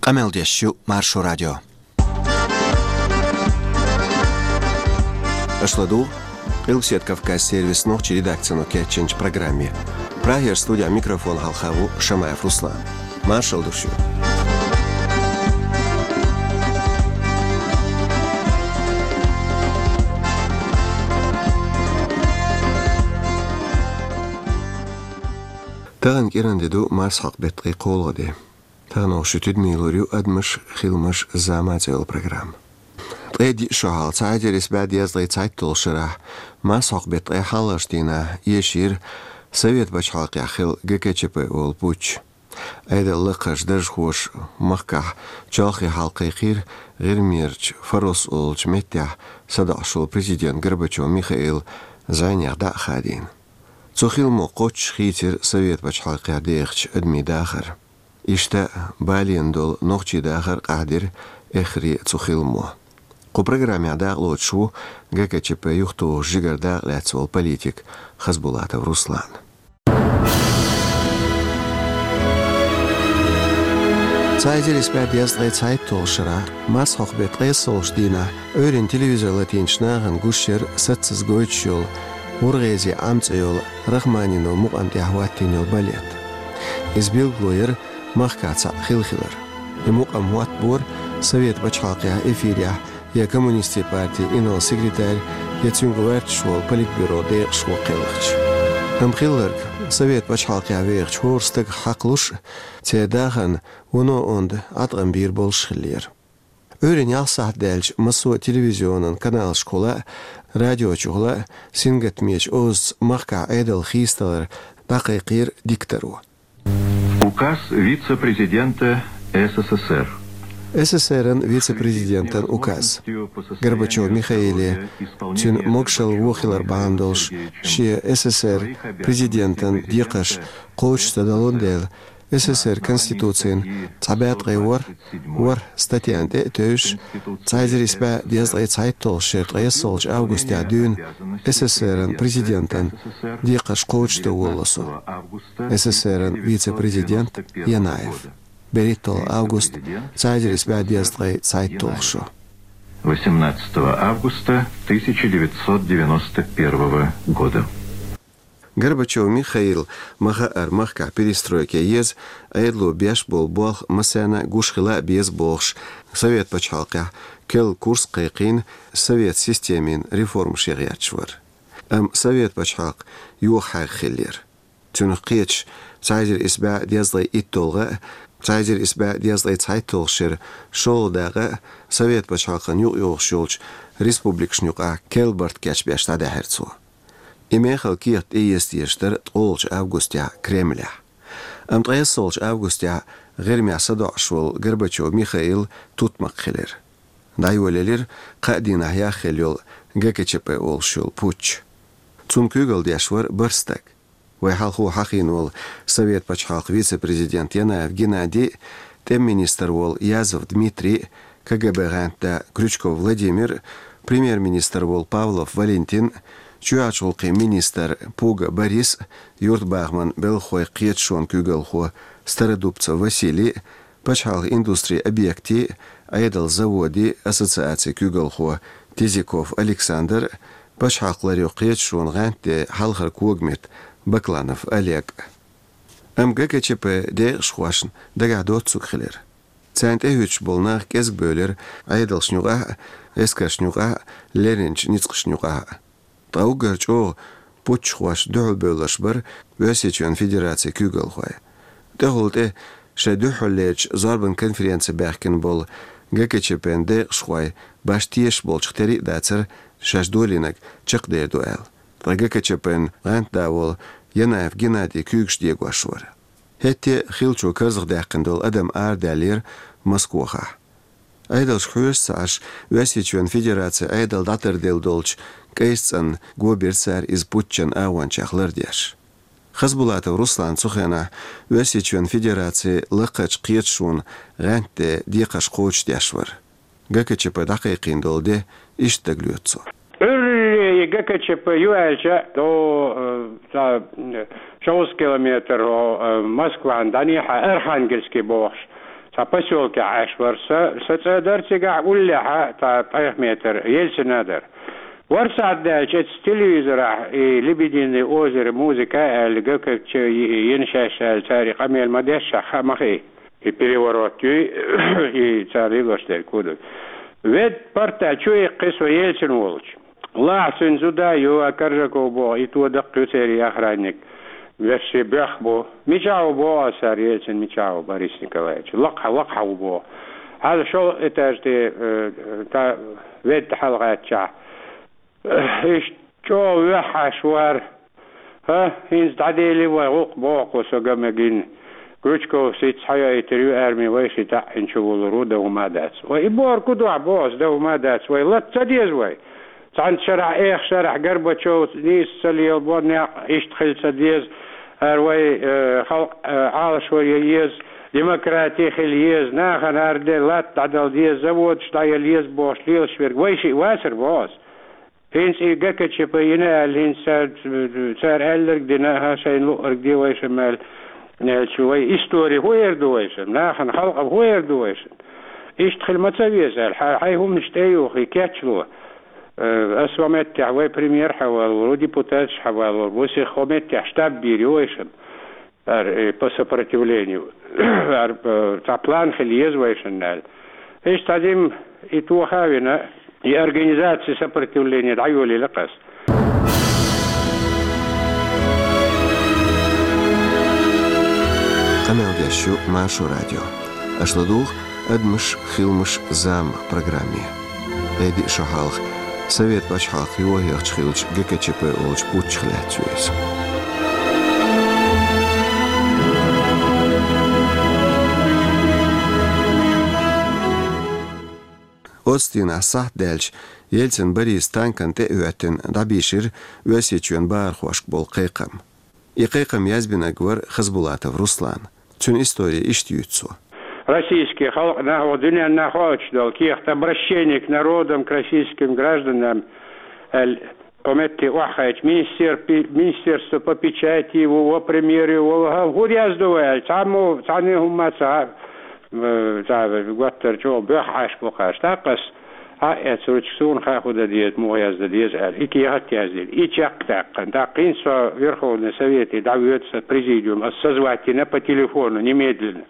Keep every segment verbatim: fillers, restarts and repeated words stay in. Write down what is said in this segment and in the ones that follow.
Къамел деш ю Маршо радио. Аша ладугӀу Къилбаседа Кавказ сервисан нохчийн редакцино кечйинчу программе. Прагера студехь микрофон хьалха ву Шамаев Руслан. Маршалла ду шуьга. Тахана кӀиранде ду марсхьокху беттан ткъе кхоалгӀа де. Тахана оха шун тидаме лур ю «Адамаш, хиламаш, зама» цӀе йолу программа. Ткъе диъ шо хьалха, цхьа эзар исс бӀе дезткъе цхьайтталгӀачу шарахь, марсхьокху беттан ткъе хьалхарчу дийнахь, эшийра Совет пачхьалкхехь хилла Г К Ч П олу путч. Ӏедалан лакхарчу даржхоша махкахь чолхе хьалакхайкхийра ГӀирмерчу Фарос олучу меттехь садоӀуш волу президент Горбачев Михаил зӀенех дӀа а хадийна. Цу хиламо кхоччуш хийцира Совет пачхьалкхехь дехачу адамийн дахар. Иштта балийна долу нохчийн дахар къахьдира эххар а цу хиламо. Кху программехь дакъалоцуш ву Г К Ч П юхатухуш жигара дакъалаьцна волу политик Хасбулатов Руслан. Цхьа эзар исс бӀе дезткъе цхьайтталгӀачу шарахь, марсхьокху беттан ткъе кхоалгӀачу дийнахь, Ӏуьйранна телевизор латийначу нахана гуш яра саццаза гойтуш йолу «ГӀургӀезин Ӏам» цӀе йолу Рахманинов мукъам тӀехь хӀоттийна йолу балет. Иза билгало яра махкахь цхьаъ хилла хилар. И мукъам хӀоттабора Совет пачхьалкхехь эфирехь я коммунистийн партин инарла секретарь, я цуьнга гӀоьрташ волу политбюро декъашхо кхелхича. Амма хилларг, Совет пачхьалкхехь вехачу хӀора стагах хьакхалуш, церан дахарна вуно онда Ӏаткъам бийр болуш хиллера. Ӏуьйранна ялх сахьт даьлча, массо а телевизионан каналашкахула а, радиочухула а сингаттамечу озаца махкахь Ӏедалан хийцадалар дӀакхайкхийра дикторо. Указ вице-президента С С С Р. С С С Р-ан вице-президентан указ. Горбачев Михаиле, цуьнан могушалла вон хилар бахьана долуш, шен С С С Р президентан декхарш кхочуш ца далун дела, С С С Р Конституцин цхьа бӀе ткъе ворхӀ, ворхӀ статьяна тӀе а тевжаш, цхьа эзар исс бӀе дезткъе цхьайтталгӀачу шеран ткъе кхоалгӀачу августехь дуьйна С С С Р-ан президентан декхарш кхочушдан волало со. С С С Р-ан вице-президент Янаев. БерхӀитталгӀа август, цхьа эзар исс бӀе дезткъе цхьайтталгӀа шо. Восемнадцатого августа тысяча девятьсот девяносто первого года. Горбачев Михаила ма хаъара махкахь перестройка еза, Ӏедало беш болу болх массарна а гуш хила а беза бохуш, Совет пачхьалкхехь керла курс кхайкхийна совет системин реформаш ян гӀерташ вара. Амма Совет пачхьалкх йохахьаьрга хиллера. Цунах кхеташ, цхьа эзар исс бӀе дезткъе итталгӀа а, цхьа эзар исс бӀе дезткъе цхьайтталгӀачу шеран шолгӀа дакъа а Совет пачхьалкхана юкъайогӀуш йолчу республикашна юкъахь керла барт кечбеш дӀадаьхьира цо. И мехала кехат тӀеэца дезаш дара ткъолгӀачу августехь Кремлехь. Амма ткъе кхоалгӀачу августехь ГӀирмехь садоӀуш волу Горбачев Михаил тутмакх хилира. ДӀайолаелира кхаа дийнахь яхъелла йолу Г К Ч П олуш йолу путч. Цунна куьйгалла деш вара бархӀ стаг. Вай хьалхо хьахийна волу Совет пачхьалкхан вице-президент Янаев Геннадий, тӀеман министр волу Язов Дмитрий, К Г Б гӀантда Крючков Владимир, премьер-министр волу Павлов Валентин, чоьхьарчу гӀуллакхийн министр Пуга Борис, юьртабахаман белхахойн кхеташонан куьйгалхо Стародубцев Василий, пачхьалкхан индустрин объектийн, Ӏедалан заводийн ассоциацин куьйгалхо Тизиков Александр, пачхьалкх ларъяран кхеташонан гӀантден хьалхара когаметта Бакланов Олег. Амма Г К Ч П декъашхошна дагахь доццуг хилира. Царна тӀехӀуьттуш болу нах кӀезиг бевлира Ӏедалшна юкъахь а, эскаршна юкъахь а, леринчу ницкъашна юкъахь а. Ткъа уггар чӀогӀа путчхошна дуьхьал бевлларш бара Оьрсийчоьнан Федерацин куьйгалхой. ТӀехула тӀе шайн дуьххьарлерчу зорбан конференци баьхкина болу Г К Ч П-н декъашхой башха тешаш болчух тера а дацара шаьш долийнарг чекхдер ду аьлла. Ткъа Г К Ч П-н гӀантда волу Янаев Геннадий куьйгаш дегош вара. ХӀетте а хиллачо карзахдаьккхина долу адам арадаьллера Москвахахь. Ӏедалшка хьоьжуш ца Ӏаш, Оьрсийчоьнан Федерацин Ӏедал дӀатарделла долчу кӀайса цӀанна го бира цара иза путчан агӀончех лардеш. Хасбулатов Руслан цу хенахь Оьрсийчоьнан Федерацин лакхарчу кхеташонан гӀантден декхарш кхочушдеш вара. Г К Ч П дӀакхайкхийна долу де иштта дагалоьцу цо. Ӏуьйре и Г К Ч П ю аьлча, до, э, цхьа, э, шовзткъа километр, о, э, Москван дӀанехьа Архангельский бохуш, Цхьа посёлкехь Ӏаш вара со, со цӀа дара цигахь уллехьа, цхьа ткъех метр, Ельцина дара. Вара сахьт даьлча, эцу телевизорахь и «Лебединое озеро» музыка аьлла, ГКЧП йина шаьш аьлла, цара и къамел ма дешшехь, хаа ма хи. И переворот юй, и цара лелош дерг хӀун ду. Ведда парта чу иккхи со Ельцин волчу. Лахьа цуьнан зуда ю, а Коржаков боху, и то даккха ю церан охранник. Вешший боьх бу. Мичахь ву боху аса, Ельцин мичахь ву, Борис Николаевич? Лакхахьа, лакхахьа ву боху. Хьала шолгӀа этаж тӀе, э, та Ведда хьалагӀаьттичахь. Иштта чӀогӀа ваьхьаш вара. ХӀа, хӀинца дӀадели вай гӀуллакх боху со ган мегина. Крючков сица хьайойтур ю арми, вай ши таӀина чу вулур ву, дан хӀума дац. Вай и бохург хӀун ду ахь боху ас, дан хӀума дац. Вай латта ца деза вай. Цхьана шарахь, эха шарахь Горбачев нийса ца лелабо, некъ иштта хила ца деза. ХӀара вай, э, халкъ, э, Ӏалашвар ян еза, демократи хила еза, нахана хӀара де латта дӀадала деза, заводаш дӀаяла еза бохуш лелаш верг вай шиъ вацара боху ас. ХӀинца и ГКЧП йина аьлла, хӀинца цара, цара аьлларг дина, хӀа, шайна луъург де вайшимма аьлла, аьлча, вай истори хӀун эр ду вайшимма? Нахана, халкъана хӀун эр ду вайшимма? Иштта хила ма ца веза аьлла, хьай, хьайн хӀуманаш тӀе а юхий, кечло. Э, аса хӀокху меттехь вай премьер хьавалор ву, депутаташ хьавалор ву, сиха хӀокху меттехь штаб бийр ю вайшимма. ХӀара, э, по сопротивлению. ХӀара, э, цхьа план хила еза вайшинна аьлла. Иштта цхьа дим и тоха а вина, и организация сопротивления дӀайолийла-кх ас. Къамел деш ю Маршо радио. Аша ладугӀу «Адамаш, хиламаш, зама» программе. ДӀайдиъ шо хьалха, Совет пачхьалкх йохаехча хиллачу ГКЧП олучу путчах лаьцна ю иза. Оццу дийнахь сахьт даьлча, Ельцин Бориса танкана тӀе а хӀоьттина, дӀабийшира Оьрсийчоьнан бахархошка болу кхайкхам. И кхайкхам язбинарг вара Хасбулатов Руслан. Цуьнан истори иштта юьйцу цо. Российский халкъ нах, дуьненна хоуьйтуш долу кехат «Обращение к народам, к российским гражданам» аьлла, кху метте охьахайча, министер-, пи-, министерство по печати, во, во премьере, во, во, хӀа, хӀун яздо вай аьлла, цхьаммо, цхьанне хӀумма ца, э, цхьа готтар чӀогӀа боьххьаш бу кхаш. ТӀаккха ас Хьа а эцна ручка, суна хаьа хӀун дан деза, муха яздан деза аьлла, и кехат яздина, и чекх а даьккхина. ТӀаккха хӀинца со Верховный Совете дӀавоьду, сан президиум, ас созвать йина по телефону немедленно.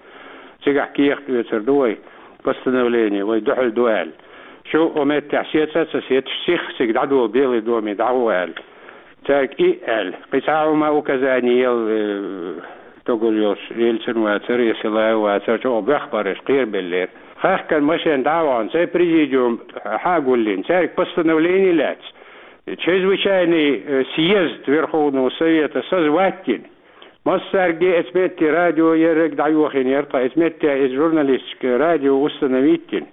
Цигахь кехат оьцур ду вай, постановление вай дуьхьал ду аьлла. Шу хӀокху меттехь сеций а ца сецаш, сиха цига дӀадола Белый доме дӀагӀо аьлла. Цаьрга и аьлла. Кхин цхьа а хӀума указание елла, э, тогур йолуш, Ельцин вацара, я Силаев вацара, чӀогӀа боьхна бара уьш, кхерабеллера. Хахкан машен дӀа а вахана, цӀе президиум хьагуллина, цаьрга постановление лаьцна. Чрезвычайный, э, съезд Верховного Совета созвать йина. Массаьрга эцу метте радио ерриг дӀайохийна яра тхан, эцу метте иза журналистика радио установить йина.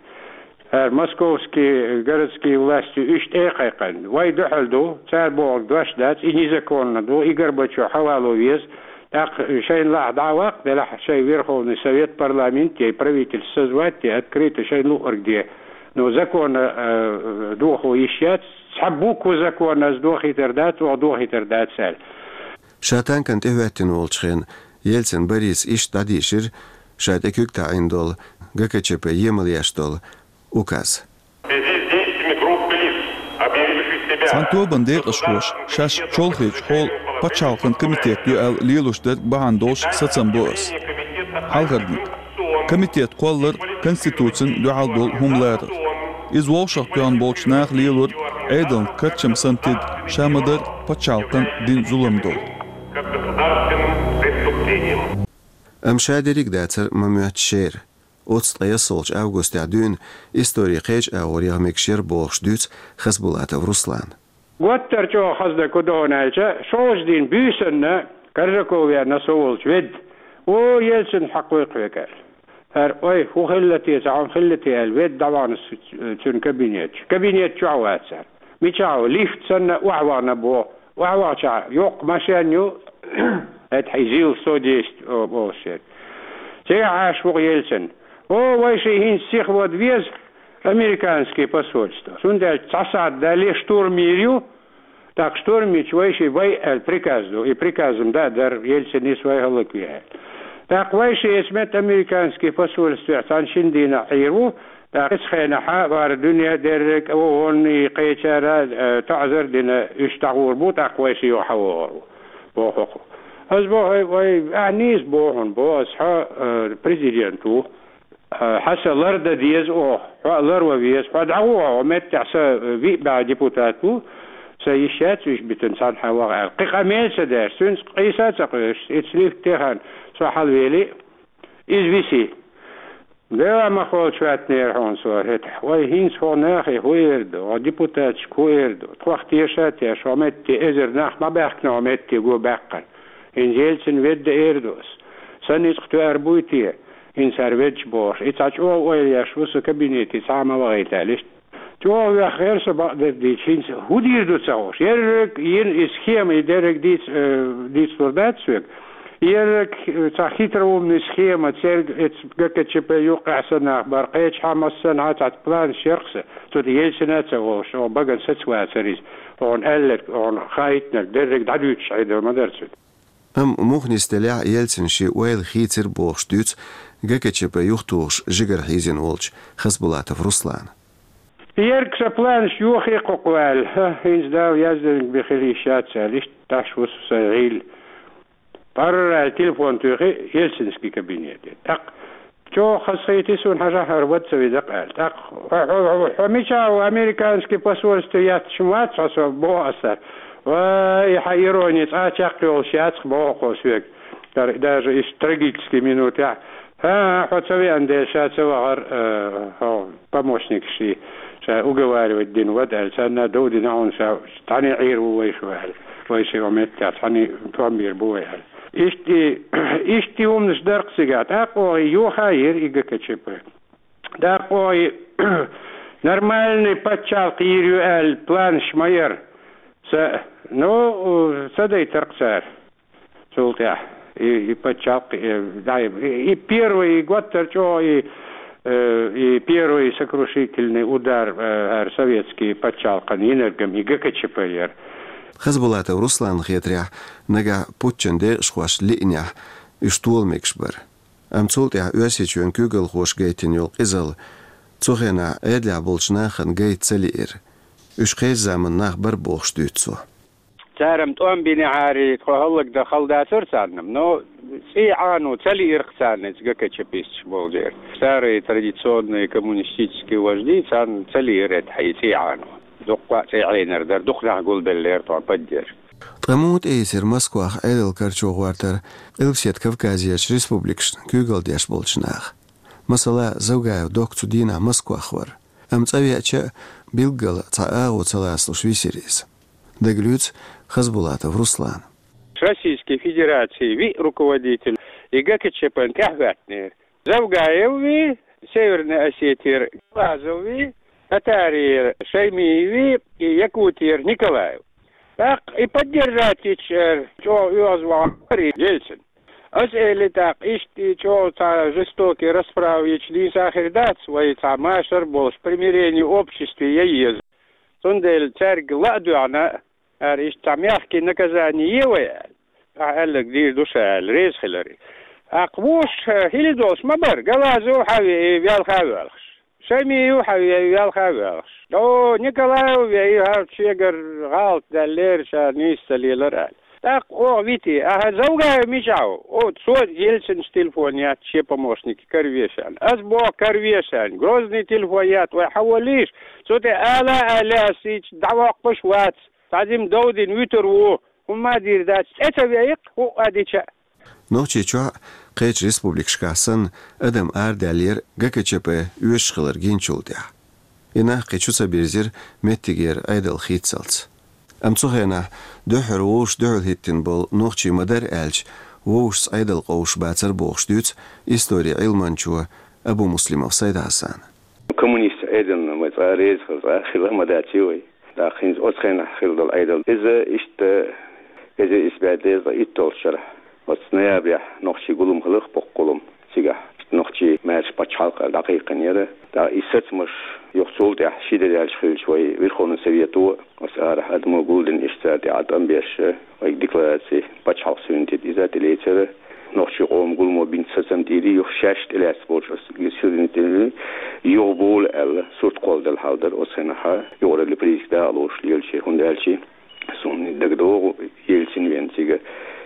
ХӀара московский городский властью иштта а кхайкхина, вай дуьхьал ду, цара бохург дош дац, и незаконно ду, и Горбачев хьавало веза, тӀаккха шайна лахь дӀа а ваккха, делахь шайн Верховный Совет, парламент я, и правительство созвать де, открыто шайна луъург де. Но законна, э, дохо йиш яц, цхьа буква законна ас дохийтар дац, оха дохийтар дац аьлла. Ша танкана тӀе хӀоьттина волчу хенахь, Ельцин Бориса иштта дӀадийшира ша тӀе куьг таӀийна долу, ГКЧП емал еш долу указ. В связи с действиями группы лиц, объявивших себя... Цхьана тобанан декъашхоша шаьш чолхечу хьолан пачхьалкхан комитет ю аьлла лелош дерг бахьана долуш сацам бо ас. Хьалхарниг. Комитет кхоллар конституцина дуьхьал долу хӀума ларар. Иза вовшахтоьхна болчу наха лелорг Ӏедална карчам санна тида ша ма-дарра пачхьалкхан дина зулам долу. Как государственным преступлением. Амма ша дерриг а дацара ма-моьтту шера. Оццу ткъе ялсолчу августехь дуьйна историн кхечу агӀор яха мегаш яра бохуш дуьйцу Хасбулатов Руслана. Готтар чӀогӀа хаза дерг хӀун ду хьуна аьлча, шолгӀачу дийнан буьйсанна Коржаков веана со волчу ведда. О, Ельцин хьакхойкху век аьлла. ХӀара, ой, хӀун хилла те, цхьа хӀума хилла те аьлла, ведда дӀавахана цуьнан кабинет чу. Кабинет чохь вацара. Мичахь ву? Лифт санна охьавахана боху. Охьавахчахь, йоккха машен ю, это хьий ЗИЛ сто десять, о, боху шен. Цигахь Ӏаш ву-кх Ельцин. О, вай шиъ хӀинца сиха вада веза американский посольство. Цундела цхьа сахьт дале штурм йийр ю, тӀаккха штурм йича вай шиъ вай аьлла приказ ду. И приказом да а дара, Ельцин нис вай хӀаллакве аьлла. ТӀаккха вай ши эца метта американский посольстве цхьана шин дийнахь Ӏийр ву, тӀаккха эцу хенахьа вара дуьне дерриг а вогӀун и кхечара, э, таӀзар дина, уьш дӀагӀур бу, тӀаккха вай ши юха хьавогӀур ву, боху-кх. Ас боху, вай, ахьа нийса боху хьуна, бо ас, хьо, э, президент ву. Хьо, хьо сан лардан деза оха, хьо а ларван веза, хьо дӀагӀо хьо, меттехь сан виъ бӀе депутат ву, сан йиш яц уьш битина цхьанхьа ваха аьлла. Кхин къамел ца деш, цуьнца къийса а ца кхоьруш, и цлифт техана со хьалавели, иза виси. Дела ма холчу ваьтнера хьуна со хӀетахь. Вай хӀинца хьо нахе хӀу эр ду, хьо депутаташка хӀу эр ду, тхох теша а теш, хьо метте эзар нах ма баьхкина хьо метте го баьккхина. ХӀинца Ельцин ведда эр ду ас. Сан ницкъ тоьар буй те? ХӀинца хӀара веддаш бохуш, и цхьа чӀогӀа ойла еш ву сан кабинете цхьа а ма вахийта аьлла, иштта. ЧӀогӀа веххера со бакъдерг дийцича, хӀинца хӀун дийр ду ца хууш. Ерриг йина и схема, и дерриг дийц-, э, дийцлур дац соьга. Ерриг, э, цхьа хитроумный схема, церг эц ГКЧП юккъехь санна нах бара, кхечахьа массанхьа цхьа планаш яр-кх сан. Цу тӀе Ельцина а ца волуш, оха багана саца вацара иза. Оха аьлларг, оха хаийтинарг, дерриг дӀадуьйцуш Ӏедал ма дара цуьнан. Амма муха нисделехь а Ельцина шен ойла хийцира бохуш дуьйцу ГКЧП юхатухуш жигара хьийзина волчу Хасбулатов Руслана. Ерг сан планаш йохий кху кху аьлла, хӀа, хӀинца Дала яздинарг бен хила йиш яц аьлла, иштта тӀаш ву со сайн гӀийла. Парра аьлла телефон туьйхи Ельцинский кабинете. ТӀаккха чӀогӀа хазахийти суна, хьажахьара вад ца веза-кх аьлла. ТӀаккха хьо, хьо, хьо, хьо мичахь ву, американский посольстве етташ ма вац хьо со, боху аса. Вай, и хьан ирони цкъа а чекхйолуш яц-кх, боху-кх соьга. Дар-, даже иштта трагический минутехь. ХӀан, хьо ца веана дела, ша ца вахара, э, хьо помощникаш и, ша уговаривать дина вада аьлла, царна дов дина хьуна ша, цхьаьна Ӏийр ву вай шу аьлла. Вай ши меттехь цхьаьна томбийр бу вай аьлла. Иштта и, иштта и хӀуманаш дара-кх цигахь. ТӀаккха оха и юха а йира и ГКЧП. ТӀаккха оха и нормальный пачхьалкх йийр ю аьлла планаш ма яра. Ца, ну, ца дайтар-кх цара. Цул тӀаьхьа и, и пачхьалкх, и, да, и, и первый, и готтар чӀогӀа, и, э, и первый сокрушительный удар, э, хӀара советский пачхьалкхана йинарг-м и ГКЧП яра. Хасбулатов Русланна хетарехь, нагахь путчан декъашхошна лиънехь, уьш тола мегаш бара. Амма цул тӀаьхьа Оьрсийчоьнан куьйгалхоша гайтина йолу къизалла цу хенахь Ӏедалехь болчу нахана гайта ца лиира. Уьш кхечу заманан нах бара бохуш дуьйцу цо. Цара-м тӀом бинехьара, тхо хӀаллакдан хала дацара царна-м, но цӀий Ӏано ца лиира-кх царна иза ГКЧПисташ боху дера. Старые традиционные коммунистические вожди, царна ца лиира хӀетахь и цӀий Ӏано. Дуккха а цӀий Ӏийнар дара, дукха нах гулбеллера тхо поддержка. Ткъа муха тӀеийцира Москвах Ӏедал карчо гӀортар Къилбаседа Кавказерчу республикашна куьйгалла деш болчу наха? Масала, Завгаев Докка цу дийнахь Москвах вара. Амма цӀа веача а, билггала цхьа агӀо ца лацалуш висира иза. Дагалуьйцу Хасбулатов Руслана. Российской Федерации виъ руководитель и ГКЧП-н тӀаьхьахӀоьттинера. Завгаев вий, Северной Осетера, Галазов вий, Татарера Шаймиев вий, и Якутера Николаев. ТӀаккха и поддержать йича, э, чӀогӀа оьгӀазвахар и Ельцин. Ас элира тӀаккха, иштта и чӀогӀа цхьа жестокий расправа йича нийса хир дац, вай цхьа машар а болуш, примирение обществе ян еза. Цундела цаьрга ла а доьгӀна, ара иштта цхьа мягкий наказание е вай аьлла. Ахьа аьлларг дийр ду ша аьлла, реза хилар и. ТӀаккха вуш, э, хила долуш ма бара, Галазов хьан веа, и велха а воьлхуш. Шаймиев хьан веа, и велха а воьлхуш. О, Николаев веа, и хӀара шегара гӀалат даьллера, ша нийса ца лелара аьлла. ТӀаккха оха вити, ахьа Завгаев мичахь ву? О, цо Ельцинца телефон етта шен помощнике караве шена. Ас боху караве шена, Грозный телефон етта, вай хьан воллийша? Цу тӀе ала а аьлла, ас и дӀавоккхуш а вац. Цхьа жима дов дина вуьтур ву, хӀумма а дийр дац, цӀе ца веа-кх, хӀуъа а дича а. Нохчийчохь а, кхечу республикашкахь санна, адам арадаьллера ГКЧП оьшуш хилар гиначул тӀаьхьа. И нах кхин чу ца бирзира меттигера Ӏедал хийццалц. Амма цу хенахь дуьххьара вовшашца дуьхьал хӀиттина болу нохчий ма-дарра аьлча, вовшашца Ӏедал къовсуш бацара бохуш дуьйцу историн Ӏилманчо Абумуслимов Сайд-Хьасана. Коммунист Ӏедална вай цкъа а реза хила, цкъа а хила ма дац вай. ТӀаккха хӀинца оцу хенахь хилла долу Ӏедал. Иза иштта эзар исс бӀе дезткъа итталгӀачу шарахь, оцу ноябрехь нохчийн гулам хиларх, боккха гулам. Цигахь нохчий маьрша пачхьалкх аьлла дӀакхайкхинера. ТӀаккха и сацамаш юха цул тӀаьхьа ши де даьлча хилча, вай Верховный Совето, оцу арахь адамо гулдина, иштта цара тӀе Ӏа тӀом беш, вай деклараций, пачхьалкх суверенитет иза тӀелецира. Нохчий къоман гуламо бинчу сацам тӀера юха шаьш тӀелаьцна болчу оцу суверенитетан юха болу аьлла, сурт кхолладала хьал дара оцу хенахь, юкъараллин политикан дакъалоцуш лелачеран, хӀунда аьлча суна дагадогӀу, Ельцин веана цига,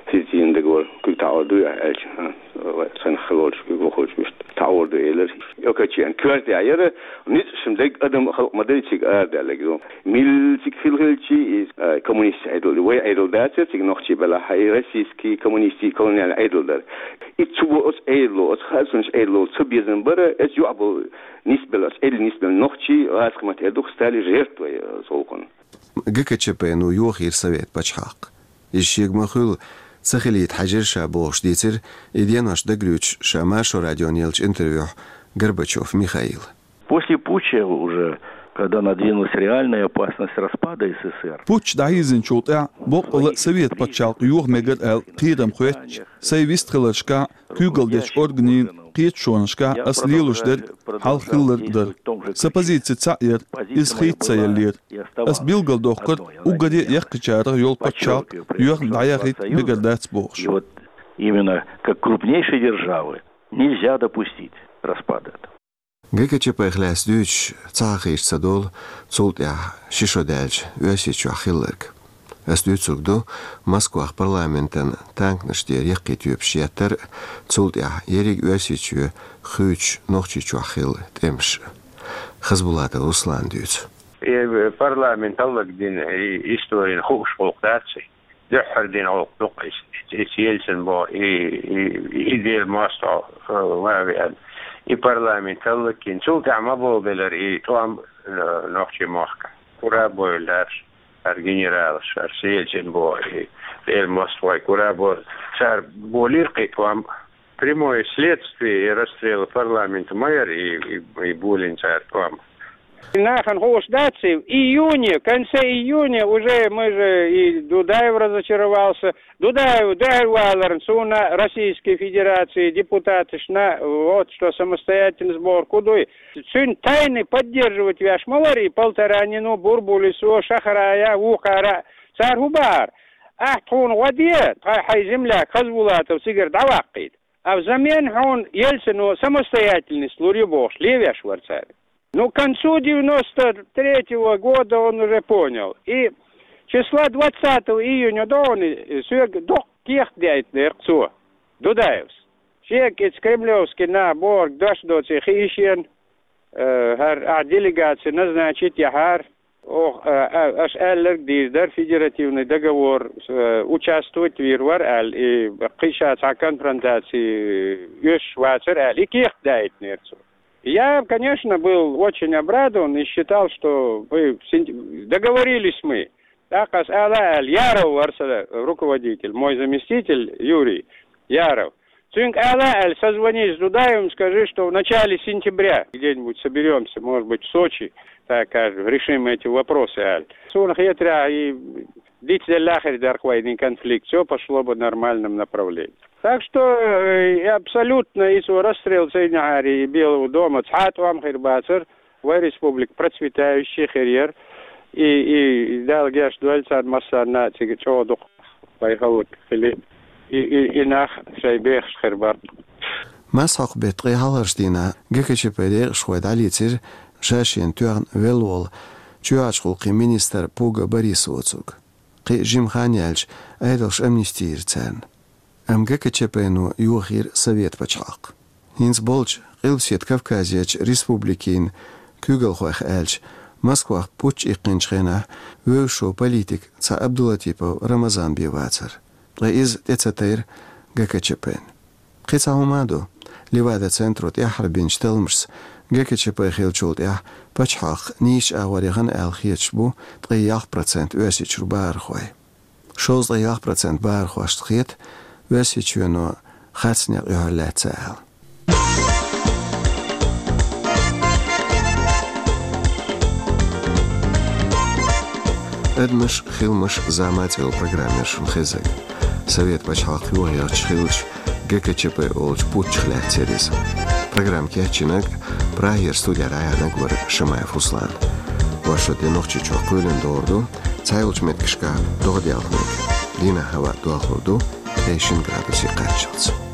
хӀинца договор куьг таӀор ду аьлча, а, вай цхьаьна хилла волчу куьг вахочу иштта таӀор ду элира. Окачен коьрта тӀехь яра, ницкъ шим дерг адам халкъ ма дай цига арадаьлларг ду. Милла цига хилла хилча, иза, а, коммунистийн Ӏедал, вай Ӏедал дацара цига нохчий белахь, и российский коммунистийн колониальный Ӏедал дара. И цу бо оцу Ӏедало, оцу хаьржинчу Ӏедало ца безам бара, оцу юкъа болу нисбелла, оцу Ӏедалан нисбелла нохчий, гӀазкхийн маттахь эр ду, стали жертвой, э, цу гӀуллакхана. ГКЧП-но йохийра совет пачхьалкх. Иза шега ма-хуьллу, ца хилийта хьаьжира ша бохуш дийцира и денош дагавуьйцуш ша Маршо радиона еллачу интервьюхь Горбачев Михаила. После путча уже, когда надвинулась реальная опасность распада СССР, Путч дӀахьийзинчул тӀаьхьа боккъала а совет пачхьалкх йоха мегар аьлла кхерам хоьттуш, сайн вистхиларшкахь, куьйгалла дечу органийн кхеташонашкахь ас лелош дерг хьалха хилларг дара. Сан позици цхьаъ яра, иза хийца ца еллера. Ас билгалдоккхура, уггаре а яккхийчарах йолу пачхьалкх юьхна дӀаяхийта мегар дац бохуш. И вот именно как крупнейшей державы нельзя допустить распада этого. ГКЧП-х лаьцна дуьйцуш ца хьахийча ца долу цул тӀаьхьа ши шо даьлча Оьрсийчохь хилларг. Ас дуьйцург ду, Москвахь парламентан танканаш тӀера яккхий тоьпаш еттар а, цул тӀаьхьа ерриг Оьрсийчоь хуьйцуш Нохчийчохь хилла тӀемаш. Хасбулатов Руслана дуьйцу. И парламент хӀаллакдина, и историн хууш гӀуллакх дац и. Дуьххьара дина гӀуллакх ду-кх иза. Иза Ельцин боху, и, и, и Дела мостагӀа, э, ма веана. И парламент хӀаллакйина. Цул тӀаьхьа ма болабелира и тӀом, э, нохчийн махкахь. Кура а бевлла дара хӀара генералаш, хӀара Ельцин боху, и Дела мостагӀа вай Кура а бо-, цара болийра-кх и тӀом. Прямое следствие и расстрела парламента ма яра и, и, и болийна цара тӀом. Нахана хууш дац и, в июне, в конце июня уже мы же и Дудаев разочаровался. Дудаев дуьхьал валарна суна Российской Федерации депутаташна, вот что самостоятельность бохург хӀун ду. Цуьнан тайны поддерживать веш ма вара и Полторанин, Бурбулис, Шахрай, вукхара. Цара хӀун бахара? Ахь тхуна гӀо де, тхайн хьайн земляк Хасбулатов цигара дӀаваккхийта. А взамен хьуна Ельцино самостоятельность лур ю бохуш левеш вара цара. Ну, к концу девяносто третьего года он уже понял. И числа двадцатого июня догӀуна соьга доккха кехат даийтинера цо, Дудаевс. Шега иза кремлевский нах бохург дош доций хиъна, э, хӀара ахь делегаци назначить яхьара, оха, э, э, аша аьлларг дийр дара, федеративный договор, э, участвовать вийр вара аьлла, и кхин ша цхьа конфронтаци оьшуш вацара аьлла, и кехат даийтинера цо. Я, конечно, был очень обрадован и считал, что мы син-, договорились мы. ТӀаккха аса ала аьлла, Яров вара сан руководитель, мой заместитель Юрий Яров. Цуьнга ала аьлла, созвонись с Дудаевым, скажи, что в начале сентября где-нибудь соберёмся, может быть, в Сочи, так скажем, решим эти вопросы аьлла. Суна хетарехь, и дицделла хир дара-кх вайна и конфликт, всё пошло бы в нормальном направлении. Так что, э, и абсолютно и цо расстрел ца йинехьара и Белого дома цхьа а тӀом хир бацара, вай республика процветающая хир яра, и, и Дала гечдойла царна массарна а, цига чӀогӀа дукха вай хӀаллакьхили, и, и, и нах шайн бехаш хир бара. Масхьокху беттан ткъе хьалхарчу дийнахь ГКЧП-н декъашхой дӀалецира ша шена тоьхна велла волу чоьхьарчу гӀуллакхийн министр Пуга Борис воцург. Кхин а жима хан яьлча, Ӏедалша амнисти йира царна. Амма ГКЧП-но йохийра Совет пачхьалкх. ХӀинца болчу Къилбаседа Кавказерчу республикийн куьйгалхойх аьлча, Москвахь путч иккхинчу хенахь вевзаш волу политик цхьа Абдулатипов Рамазан бен вацара. Ткъа иза тӀе ца тайра ГКЧП-н. Кхин цхьа хӀума а ду. Левада-центро тӀаьххьара бинчу талламашца, ГКЧП хиллачул тӀаьхьа пачхьалкх нийсачу агӀор яхана аьлла хеташ бу ткъе ялх процент Оьрсийчуьра бахархой. Шовзткъе ялх процент бахархошна хета, Оьрсийчоьно харц некъ юьхьар лаьцна аьлла. «Адамаш, хиламаш, зама» цӀе йолу программа яра шуна хезнарг. Совет пачхьалкх йохаелча хиллачу ГКЧП олучу путчах лаьцна яра иза. Программа кечйинарг, Прагера студера дӀаяьхьнарг вара Шамаев Руслан. Вайн шо тӀе Нохчийчохь кхоьлина догӀур ду, цхьайолчу меттигашкахь догӀа делхнарг. Дийнахь хӀаваъ дохлур ду ткъе шина градусе кхаччалц.